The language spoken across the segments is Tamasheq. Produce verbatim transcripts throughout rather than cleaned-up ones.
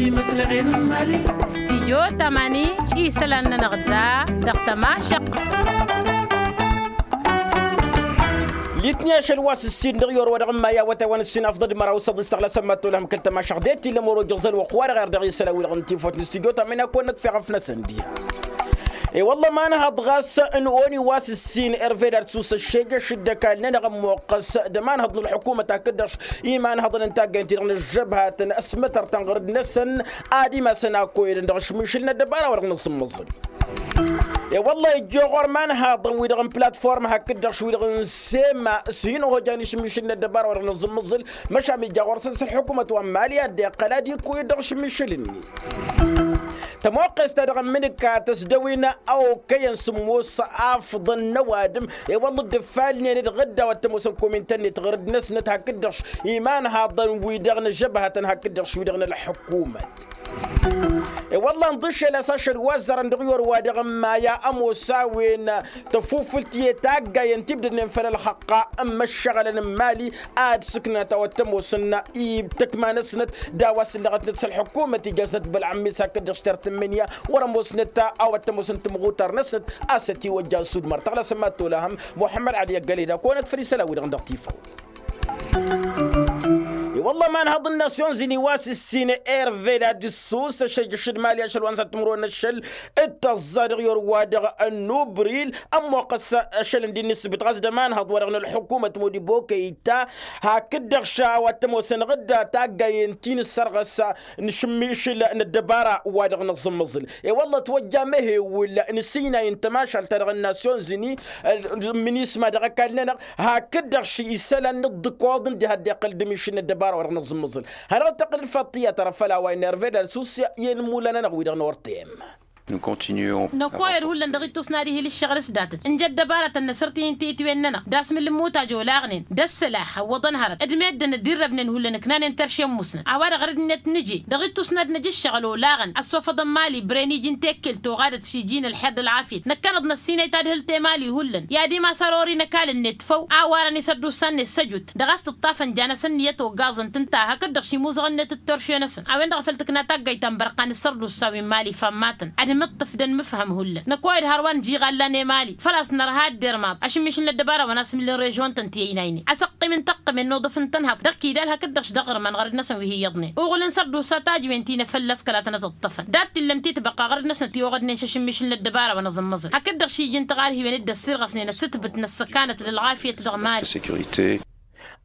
Stidyo tamani isălan-nănăɣ da dăɣ-tămašăq. Litni ašăl wa s-ǝssin dăɣ-i orăwădăɣ n-maya wătay wa n-ǝssin afḍăd măraw s-ăḍis tăɣlasăn ma t-olăhăm kăl-tămašăɣ de t-illăm orăwădăɣ zăl wăqq wa dăɣ-irdeɣ isălan wi-dăɣ n-tifawt n-stidyo tamani a kăwănnăkf eɣăf-năsăn diha. I-wălla imanhăḍ ɣas n-oni wa s-ǝssin ervedad s-usăššejăš d-ăkall-nănăɣ ămmoqqăs d-ămanhăḍ n-ălḥukumăt hakd-dăɣ imanhăḍăn n-taggaynt-i-dăɣ n-ăžžăbhatăn ăsmătărtăn ɣǝrǝd-năsăn ad-imasăn akoyădăn dăɣ-ašmišǝl n-ăddăbara wa dăɣ-nǝẓǝmmăẓǝl. I-wălla ijjoɣ ɣur-imanhăḍăn-wi-dăɣ n-platform hakd-dăɣ š-wi-dăɣ n-sema s-hin-oho jan išmišǝl n-ăddăbara wa dăɣ-nǝẓǝmmăẓǝl. Măšan ija ɣur-săn s-ălḥukumăt wa n-mali ad-dd-iqqăl ad-ikuyǝd dăɣ-ašmišǝl-ni. Tămoqqes-ta-dăɣ n-imǝnǝka tăsdăwin a okăyăn sǝmmos afḍăn n-ăwadǝm i-wălla dd-ǝffalnen d-ɣǝdda wa t-ămoosăn komintăn-net ɣur-dd-năsnăt hakd-dăɣ imanhaḍăn-wi-dăɣ n-ăžžăbhătăn hakd-dăɣ wi-dăɣ n-ălḥukumăt. I-wălla ǝnḍǝšel a-s ašăl wa ăzzarăn dăɣ-i orăw wa dăɣ-n maya ămoos a-wen tăfufǝlt i-taggayăn tibdădnen făll-ălxăqqa n-imăššăɣălăn n-mali ad-sǝknănăt a-wa t-ămoosăn i-tăkma-năsnăt d-a-wa s-ǝllăɣătnăt s-ălḥukumăt ija s-ătbălɣămmisa hakd-dăɣ s-tertǝmmǝnǝya wăr-ămoosnăt a-wa t-ămoosăn timɣutar-năsnăt a-s ătiwăjja ăssudmăr tăɣlasăn mad-tolăhăm muḥămmăd ăli ăggăleda kăwănăkfăl isălan-wi-dăɣ dăɣ-tifawt. I-wălla imanhăḍ n-nasyon zini wa s-ǝssin erved ad-ǝssus ăššăjjăš d-mali ašăl wa n-săr timǝrwen n-ašăl d-tăẓẓa dăɣ-i orăw wa dăɣ-nubri ămmoqqăs ašăl n-dd-inǝsbǝt ɣas d-ămanhăḍ wa dăɣ-nălḥukumăt modi bokăyta hakd-dăɣ ša wa t-ămoosăn ɣǝdda taggayen ti n-ǝssărɣăs n-ašǝmmišǝl n-ăddăbara wa dăɣ-nǝẓǝmmăẓǝl. I-wălla ătwăjja amăhewǝl n-asǝynay n-tamašalt-ta-dăɣ n-nasyon zini n-minisma dăɣ-ăkall-nănăɣ hakd-dăɣ ši isălan n-ǝḍḍǝkoḍ n-diha dd-iqqăl d-amišǝl n-ăddăbara wa dăɣ-nǝẓǝmmăẓǝl. Hanăɣ-dd-tăqqǝlăd faḍt tiyyăt ara făll-a-wa innerved ad-sus i-inmula-nănăɣ wi-dăɣ n-ortem. Năkoyăd hullan dăɣ-ittus n-ad-ihǝl ǝššăɣǝl s-datăt ǝnja ăddăbarătăn n-asărtǝy n-titwen-nănăɣ d-asmǝl n-imutaj olaɣnen d-ăssălax ăwwăḍăn hărăt d-meddǝn ădirrăbnen hullan ǝknanen terše n-musnăt a-wa-dăɣ ărăd-net nǝje dăɣ-ittus n-ad-năj ǝššăɣǝl olaɣăn ăssofăḍăn mali bren iji n-tekkelt toɣadăt s-iji n-ălḥeḍ ălɣafyăt năkkănăḍ năssinăy tadhǝlt i-mali hullan i-ad-imas ărori n-ăkall-net făw a-wa ărăn isărdussan-net s-ăjut dăɣ-a-s tǝṭṭafăn jan asǝnniyăt ogaẓăn tǝnta hakd-dăɣ šimuzăɣăn-net d-torše-năsăn a-wen-dăɣ a făl tǝkna taggayt ta n-bărqa n-ǝssărdussa wi n-mali fammatăn ad-imǝṭṭǝf d-ănmǝfhăm hullan năkoyăd hărwa n-jiɣallan i-mali făl-a-s nărha dd-irmaḍ ašǝmmišǝl n-ăddăbara wa n-asmǝl n-režion-tăn ti ăynaynen asăqqim n-taqqǝmen n-uḍǝf n-tănhăḍt dăɣ-kidal hakd-dăɣ š-dăɣ-irman ɣărăd-năsăn wi hi-iyyăḍnen uɣǝl n-sărdusa tajwen ti n-efălla s-kăla tănăt-ǝṭṭăfăn dat-t illăm titbăqqa ɣărăd-năsnăt i-oɣădnen šăšǝmmišǝl n-ăddăbara wa n-aẓǝmmăẓǝl hakd-dăɣ šiji n-tiɣarhiwen dd-ăssirɣăsnen ăssǝtbǝt n-ăssăkanăt d-ălɣafyăt dăɣ-mali.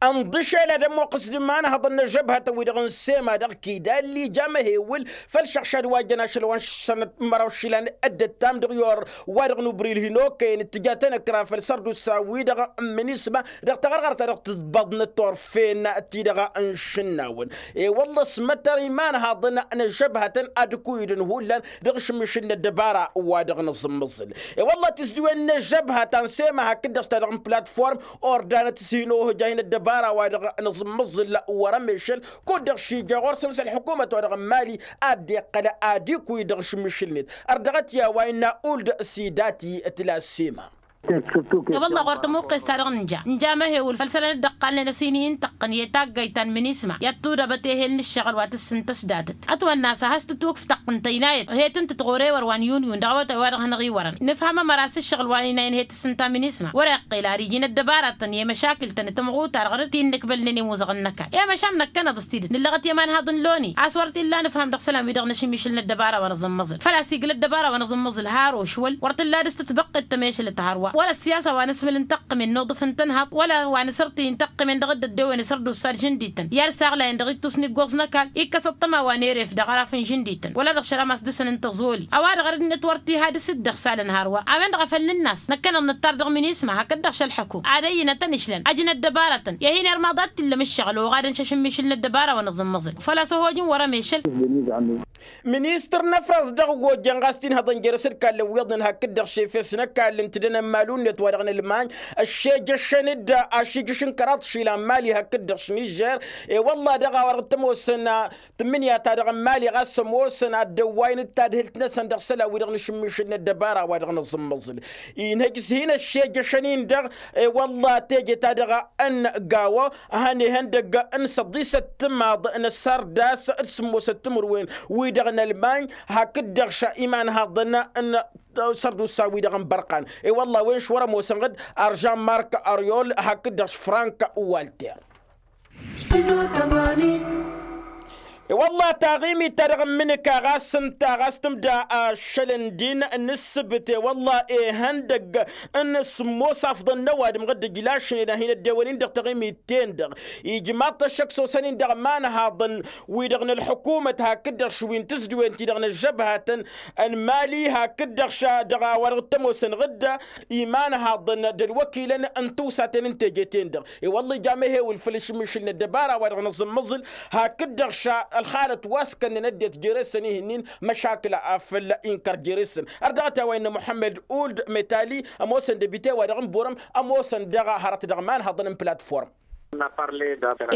Ănḍǝšel ad-ămmuqqǝs d-imanhăḍăn n-ăžžăbhătăn-wi-dăɣ n-sema dăɣ-kidal ija amăhewǝl făll-išăɣšad wa jăn ašăl wa n-sănăt măraw išilan d-ăttam dăɣ-i orăw wa dăɣ-nubril hin-okăyăn d-tǝja tanăkra făll-sărdusa-wi-dăɣ n-minisma dăɣ-taɣărɣărt ta dăɣ-tǝtbăḍnăt turfen-ti-dăɣ n-išǝnnawăn. I-wălla ăsmătăr imanhăḍăn n-ăžžăbhătăn ad-ǝkuy-dăn hullan dăɣ-ašǝmmišǝl n-ăddăbara wa dăɣ-nǝẓǝmmǝẓǝl. I-wălla tisdǝwen n-ăžžăbhăt ta n-sema hakd-dăɣ ta dăɣ-n platform ordanăt s-hin-ohǝja hin-ăddăbara wa dăɣ-nǝẓǝmmǝẓǝl wăr-ămešăl kud-dăɣ šija ɣur-săn s-ălḥukumăt wa dăɣ-n mali ad-dd-iqqăl ad-ikuy dăɣ-ašǝmmišǝl-net. Ărdăɣăt i-a-wa innă uld sidati tǝla s-sema. I-wălla ɣur-tămuqqes-ta-dăɣ nǝnja nǝnja amăhewǝl făll-isălan dd-ăqqalnen ăsini n-tăqqăn i-taggayt ta n-minisma i-ad-tudabăt ehel n-ǝššăɣǝl wa tǝssǝn tăsdatăt ătwănna a-s ad-has-tǝtwǝkf tăqqǝnt ăynayăt he-tăn-tǝtɣur ewăr wa n-yunyun dăɣ-awătay wa dăɣ-hanăɣ-iwărăn nǝfhăm ămăra s-ǝššăɣǝl wa n-inayăn he-tǝssǝn ta minisma wăr-iqqel ar iji n-ăddăbarătăn i-emăšakǝl-tăn tămɣutar ɣăr-dd-ti n-nǝkbălnen imuzăɣăn n-ăkall i-măšan năkkăneḍ s-tidǝt nǝllăɣăt i-imanhaḍ n-loni a-s wăr t-illa nǝfhăm dăɣ-isălan-wi-dăɣ n-ašǝmmišǝl n-ăddăbara wa n-aẓǝmmăẓǝl făl-a-s igla ăddăbara wa n-aẓǝmmăẓǝl har ošwăl wăr t-ǝlla dăɣ-s tătbăqqet tămešălăt hărwa wăla ăssiyasa wa n-asmǝl n-tăqqǝmen n-uḍǝf n-tănhaḍt wăla wa n-asărtǝy n-tăqqǝmen dăɣ-dd-ăddewen asărdusa d-žǝndităn i-ad-saɣlayăn dăɣ-ittus n-iggoẓ n-ăkall ikkăs ăṭṭăma wa n-eref dăɣ-araf n-žǝndităn wăla dăɣ-šăram a-s dăɣ-săn ǝntăẓoli a-wa-dăɣ ărăd-net wăr t-iha dăɣ-s dd-ăɣsalăn hărwa a-wen-dăɣ a făl nǝnn'-as năkkăneḍ nǝttar dăɣ-minisma hakd-dăɣ šălḥăkum ad-ăyyǝnătăn išlan ăjnăt dăbarătăn i-ad-hin-irmaḍ ad-t-illăm ǝššăɣǝl oɣadăn šăšǝmmišǝl n-ăddăbara wa n-aẓǝmmăẓǝl făl-a-s ăhoj n-wăr-ămešăl. Ministăr n-afras dăɣ-gojăn ɣas tinhăḍăn jer-s d-kallăn wi iḍnăn hakd-dăɣ šefes n-ăkall ǝntădăn ămmalu-net wa dăɣ-nălmany ăššejăšăn-dd ašijǝš n-kăraḍ išilan mali hakd-dăɣ š-nižer. I-wălla dăɣ-a-wa dăɣ-t ămoosăn tǝmmǝnǝya-ta-dăɣ n-mali ɣas ămoosăn ad-dd-ăwwayăn d-tadhǝlt-năsăn dăɣ-isălan-wi-dăɣ n-ašǝmmišǝl n-ăddăbara wa dăɣ-nǝẓǝmmăẓǝl. Inhăj s-hin-ăššejăšăn-in-dăɣ. I-wălla teje-ta-dăɣ n-gawă hăn ihăndăgg n-săḍisăt timaḍ n-ăssardas d-sǝmmosăt timǝrwen wi-dăɣ n-ălmany hakd-dăɣ š-imanhaḍăn n-sărdusa-wi-dăɣ n-bărqan. I-wălla wen-š wăr-ămoosăn ɣǝd arjan mark aryol hakd-dăɣ š-frank walter. I-wălla taɣimit-ta-dăɣ n-imǝnǝka ɣas ǝnta ɣas tǝmda ašăl n-din n-ǝssǝbǝt i-wălla ihăndăgg n-sǝmmos afḍăn n-ăwadǝm ɣǝd ǝjlašnen a hin-ăddewăn-in dăɣ-taɣimit-ten-dăɣ. Ijmaḍ-t ăššăk s-osăn-in dăɣ-imanhaḍăn wi-dăɣ n-ălḥukumăt hakd-dăɣ š-wi n-tǝzjǝwen-ti-dăɣ n-ăžžăbhatăn n-mali hakd-dăɣ ša dăɣ-a-wa dăɣ-t-ămoosăn ɣǝdda imanhaḍăn d-ălwăkilăn n-tiwsaten n-teje-ten-dăɣ. I-wălla ija amehewǝl făll-ašǝmmišǝl n-ăddăbara wa dăɣ-nǝẓǝmmăẓǝl hakd-dăɣ ša ălxalăt wa s-kănnen ăddinăt jere-săn ihǝnnin măšakǝla afăl inkăr jere-săn. Ar dăɣ-t i-a-wa innă muḥămmăd uld metali ămoosăn debite wa dăɣ-n borăm ămoosăn dăɣ-hărăt dăɣ-imanhăḍăn n-platform.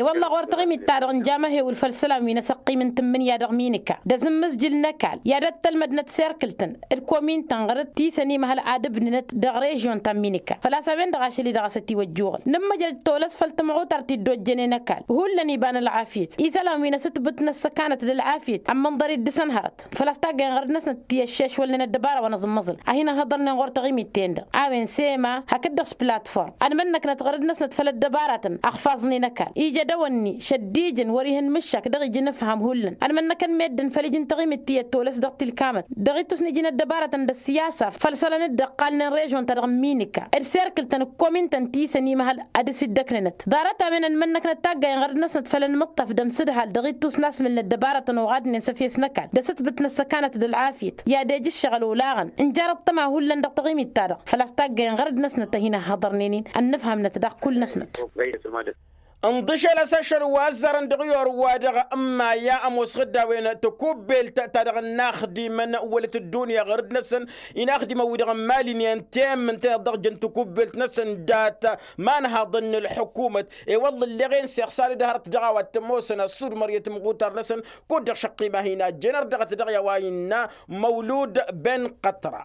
I-wălla ɣur-taɣimit-ta-dăɣ nǝja amăhewǝl făll-isălan wi n-asăqqim n-tǝmmǝnǝya dăɣ-minǝka d-azǝmmǝzjǝl n-ăkall i-ad-ăttălmădnăt serkǝl-tăn d-komin-tăn ɣur-t ti s-ănimăhăl ad-ǝbnǝnăt dăɣ-režion ta n-minǝka făl-a-s a-wen-dăɣ ašăl-i-dăɣ a-s ătiwăjjuɣǝl nǝmmăjrăd tolăs făll-tamɣutart ti dd-ojjănen ăkall hullan iba n-ălɣafyăt isălan wi n-asǝtbǝt n-ăssăkanăt d-ălɣafyăt ămmănḍăr-dd dăr-s ănhărăt făl-a-s taggayăn ɣărăd-năsnăt ti ăššešwălnen ăddăbara wa n-aẓǝmmăẓǝl a hin-ăhhăḍărnen ɣur-taɣimit-ten-dăɣ a-wen sema hakd-dăɣ s-platform ănmănnăknăt ɣărăd-năsnăt făll-ăddăbaratăn ăɣfaẓnen ăkall ija dăw-ǝnni šăddijăn wăr-ih n-imǝššak dăɣ-ija n-ǝfham hullan ănmănnăkăn meddǝn făll-iji n-taɣimit ti ăttolăs dăɣ-tilkamăt dăɣ-ittus n-iji n-ăddăbaratăn d-ăssiyasa făll-isălan dd-ăqqalnen režion-ta-dăɣ n-minika d-serkǝl-tăn d-komin-tăn ti s-ănimăhăl ad-dăr-s dd-ăknănăt ḍarăt a-wen ănmănnăknăt taggayăn ɣărăd-năsnăt făll-ănmǝṭṭaf d-ămsǝdhal dăɣ-ittus n-asmǝl n-ăddăbaratăn oɣadnen s-efes n-ăkall d-asǝtbǝt n-ăssăkanăt d-ălɣafyăt i-ad-ej ǝššăɣǝl olaɣăn ǝnjarăt tăma hullan dăɣ-taɣimit-ta-dăɣ făl-a-s taggayăn ɣărăd-năsnăt a hin-ăhhăḍărnen-in ănnǝfhămnăt daɣ kull-năsnăt. Ǝnḍǝšăl a-s ašăl wa ăzzarăn dăɣ-i orwa dăɣ-ǝmmaya ămoos ɣǝddawen tăkubbelt ta dăɣ-inaxdimăn wălăt ăddunya ɣărăd-năsăn inaxdimăn-wi-dăɣ n-mali n-i n-temmǝn-ten-dăɣ jăn tăkubbelt-năsăn dat-imanhaḍăn n-ălḥukumăt. I-wălla ǝlleɣ-en s-ixsar-dd hărăt dăɣ-a-wa t-ămoosăn ăssudmăr i-timɣutar-năsăn kud-dăɣ šăqqima hin-ajjăn ar dăɣ-t dăɣ-i a-wa innă măwlud ben qătra.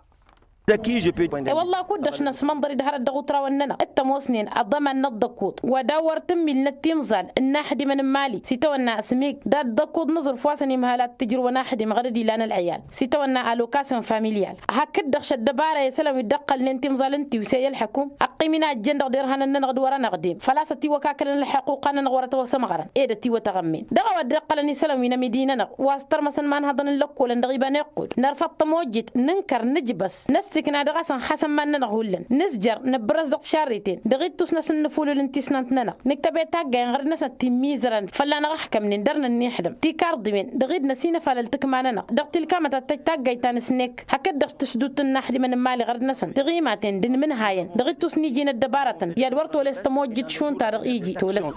I-wălla kud-dăɣ šnăsmănḍăr-dd hărăt dăɣ-utraw-nănăɣ t-ămoosnen aḍăman n-ăḍḍăkuḍ wa d-a-wăr tǝmmilnăt timẓal n-inaxdimăn n-mali s-itawănna asmig dat-dd-ăkuḍ n-aẓrǝf wa s-ănimhal ad-t-ǝjrǝw ănaxdim ɣărăd ilan ălɣiyal s-itawănna alokasyon familiyal hakd-dăɣ šăddăbara i-isălan wi dd-ăqqălnen timẓal n-tiwse i-ălḥăkum ăqqim-in a ǝjjen dăɣ-derhanăn-nănăɣ d-wăr-ănăɣdim făl-a-s ătiwăkakălăn ălḥăquqa-nănăɣ wăr-ătwăsămɣărăn ed ătiwătăɣămmen dăɣ-a-wa dd-iqqălăn isălan wi n-amidi-nănăɣ wa s-tărmăsăn imanhăḍăn n-lăkkolăn dăɣ-iba n-iqqud nărfăḍ tămojjit nǝnkăr nǝjbăs năssikna dăɣ-asăn xasăn iman-nănăɣ hullan nǝzjăr nǝbbărăs dăɣ-tišarriten dăɣ-ittus n-asǝnnǝfulǝl n-tisnant-nănăɣ nǝktăb i-taggayăn ɣărăd-năsnăt timmizărăn fălla-năɣ ăxkămnen dăr-nănniixdăm tikarḍiwen dăɣ-dd-năsinăfalăl tǝkma-nănăɣ dăɣ-tilkamăt ad-tăj taggayt ta n-asnek hakd-dăɣ tǝsdut n-inaxdimăn n-imali ɣărăd-năsăn tiɣimaten d-inmǝnhayăn dăɣ-ittus n-iji n-ăddăbaratăn i-ad-wăr tolăs tămojjit šund ta-dăɣ iji tolăs.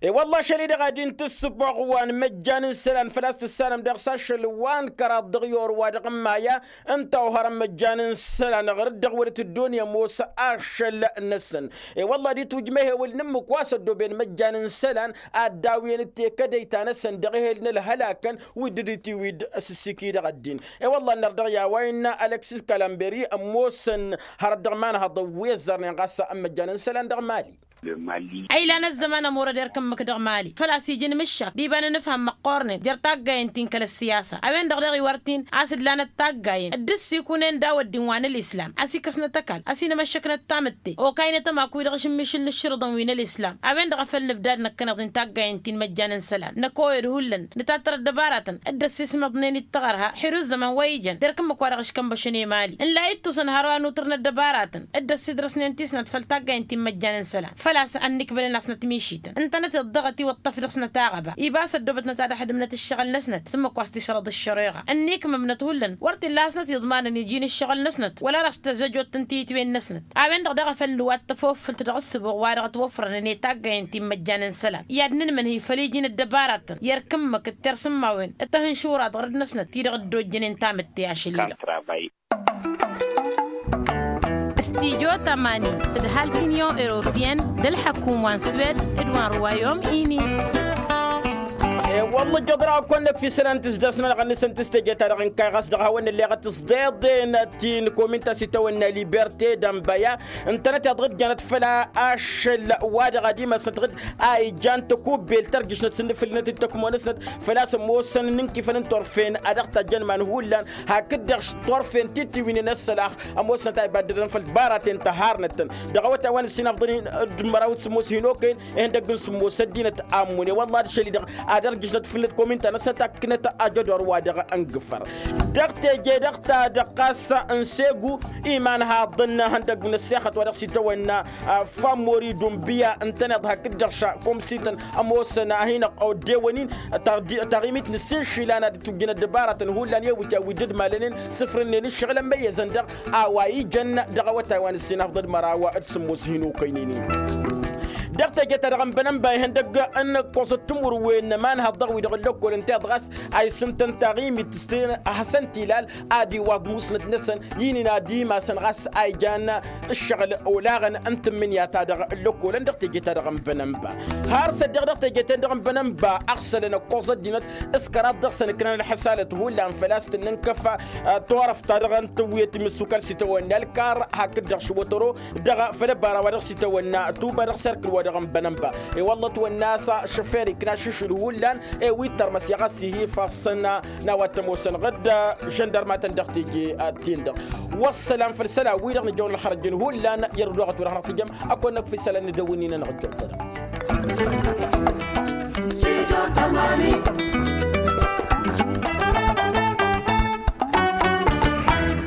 I-wălla ašăl-i-dăɣ ad-intǝssǝboɣ wa n-imăjjan n-isălan făl-a-s tǝssanăm daɣ s-ašăl wa n-kăraḍ dăɣ-i orwa dăɣ-ǝmmaya ǝnta a ohărăn imăjjan n-isălan ɣǝr-dd-dăɣ wăr t-ăddunya ămoos ašăl-năsăn. I-wălla ad-itwǝjmăhewǝl n-ǝmmǝk wa s-ăddooben imăjjan n-isălan ad-dawǝyăn d-tekădăyta-năsăn dăɣ-ehel n-ălhălakăn wi dd-itiwǝy d-asǝssiki dăɣ-ăddin. I-wălla ănnăr dăɣ-i a-wa innă alăksis kalamberi ămoosăn hărăt dăɣ-imanhăḍăn wi ăzzărnen ɣas imăjjan n-isălan dăɣ-mali. A ilan ăzzăman ămurăd erk ǝmmǝk dăɣ-mali făl-a-s ija inmǝššak d-iba n-inǝfham măqqoornen jer-taggayen ti n-kăl-ăssiyasa a-wen-dăɣ daɣ iwar-t-in a-s ǝllanăt taggayen dd-ǝssikǝwnen d-awăddin wa n-ălislam ăsikăsnăt ăkall ăsinămăššăknăt tamǝtte okaynăt ămaku-i-dăɣ ašǝmmišǝl n-ǝššǝrǝḍăn wi n-ălislam a-wen-dăɣ a făl nǝbdad năkkăneḍ-in taggayen ti n-imăjjan n-isălan năkoyăd hullan nǝtattăr ăddăbaratăn dd-ăssismăḍnen-dd taɣărha ḥir ǝzzăman wa ijăn d-erk ǝmmǝk wa dăɣ-ǝškănbăšăn i-mali n-la ittusăn hărwa n-utǝr n-ăddăbaratăn dd-ăssidrăsnen tisnant făll-taggayen ti n-imăjjan n-isălan. Făl-a-s ănnikmălăn-asnăt mišităn ǝntănăt iḍḍăɣăt iwǝṭṭăf dăɣ-snăt aɣăba. Ibas ăddoobătnăt ad-ăxdǝmnăt ǝššăɣǝl-năsnăt s-ǝmmǝk wa s-tišrăḍ ǝššăreɣa ănnikmămnăt hullan wăr t-illa a-s nătiḍmanăn iji n-ǝššăɣǝl-năsnăt wăla-dăɣ s-tăzzăjot n-tiyǝtwen-năsnăt. A-wen-dăɣ daɣ a făl nǝwat tăfofǝlt dăɣ-ǝssǝbuɣ wa-dăɣ ătwăfrănăn i-taggăyăn ti n-imăjjan n-isălan i-ad-nǝnmănhǝy făll-iji n-ăddăbaratăn i-erk ǝmmǝk d-tersǝmmawen d-tăhǝnšura d-ɣărăd-năsnăt ti-dăɣ dd-ojjănen tamǝtte ašăl-i-dăɣ. Studyo tămani d-halk unyon europeyăn d-ălḥăkum wa n-swed d-wa n-ruwayom ini. E-wălla ǝjjăḍ dăɣ-a-wa kăwăn-năkf isălan tǝzdăsnănăɣ-năsăn tǝstăje-ta-dăɣ n-kayɣas dăɣ-hawăn-nălleɣăt s-deḍen ti n-kominta s-itawănna liberte d-ănbaya ǝntănăt iḍăɣ-dd jănăt făll-ašăl wa dăɣ-ad-imasnăt ɣǝd a ijan tăkubbelt tărjǝšnăt s-ǝnnǝfǝlnăt d-tăkmo-năsnăt făl-a-s ămoosăn n-inkifăn n-turfen a dăɣ-tajjăn iman hullan hakd-dăɣ turfen tittiwǝynen ăssălax ămoosnăt a ibaddădăn făll-tibaraten tăharnăt-tăn. Dăɣ-awătay wa n-ǝssin afḍăn-in d-măraw d-sǝmmos hin-okăyăn ihăndăgg n-sǝmmos ăddinăt ammune wălla ad-šăl-i-dăɣ ad-ărjǝšnăt fǝll-năt kominta-năsnăt a ǝkkǝnăt ajădor wa dăɣ-ăngǝfăr. Dăɣ-teje dăɣ-ta-dăɣ ɣas n-segu iman haḍăn ihăndăgg n-ăssexăt wa dăɣ-s itawănna fammori d-unbiya ǝntăneḍ hakd-dăɣ šakomsităn ămoosăn a hin-ăqqăwăt d-ewăn-in. Taɣimit n-ǝssin išilan ad-dd-tujjǝn ăddăbaratăn hullan i-awǝtya wi dd-malănen sǝfrǝnnen ǝššăɣǝl ămmăyyăzăn-dăɣ a-wa ijăn dăɣ-awătay wa n-ǝssin afḍăn măraw d-sǝmmos hin-okăynen-in. Dăɣ-teje-ta-dăɣ n-bănănba ihăndăgg n-ǝkkoẓăt timǝrwen n-ămanhăḍ dăɣ-wi-dăɣ n-lăkkol ǝnta i-dăɣ a-s a isǝntăn taɣimit tǝstǝnhăsăn tilal ad-iwaḍ musnăt-năsăn i-inin ad-imasăn ɣas a ijan ǝššăɣǝl olaɣăn n-tǝmmǝnǝya-ta-dăɣ n-lăkkolăn dăɣ-teje-ta-dăɣ n-bănănba. Har s-ăddiɣ dăɣ-teje-ten-dăɣ n-bănănba ăɣsălăn ǝkkoẓăt ăddinăt s-kăraḍ dăɣ-săn ǝknan ălḥăsalăt hullan făl-a-s tǝnnǝnkăf turăft-ta-dăɣ n-tǝwwǝyăt imǝssukal s-itawănna ălkar hakd-dăɣ šwătăro dăɣ-făll-ăbara wa dăɣ-s itawănna tuba dăɣ-serkǝl wa dăɣ-n bănănba. I-wălla ătwănna a-s šăfer ikna ašǝšǝl hullan i-wi t-tărmăs i-ɣas ihi ifassăn n-a-wa t-ămoosăn ɣǝd žăndărmatăn dăɣ-teje-ten-dăɣ. Wăssălam făll-isălan-wi-dăɣ nǝjăwăn ălxărăjăn hullan i-ărdăɣăt wăr hanăɣ-tǝjăm. Ad-kăwăn-năkf isălan n-edăwǝnnin-anăɣ ăjjăwtănăɣ.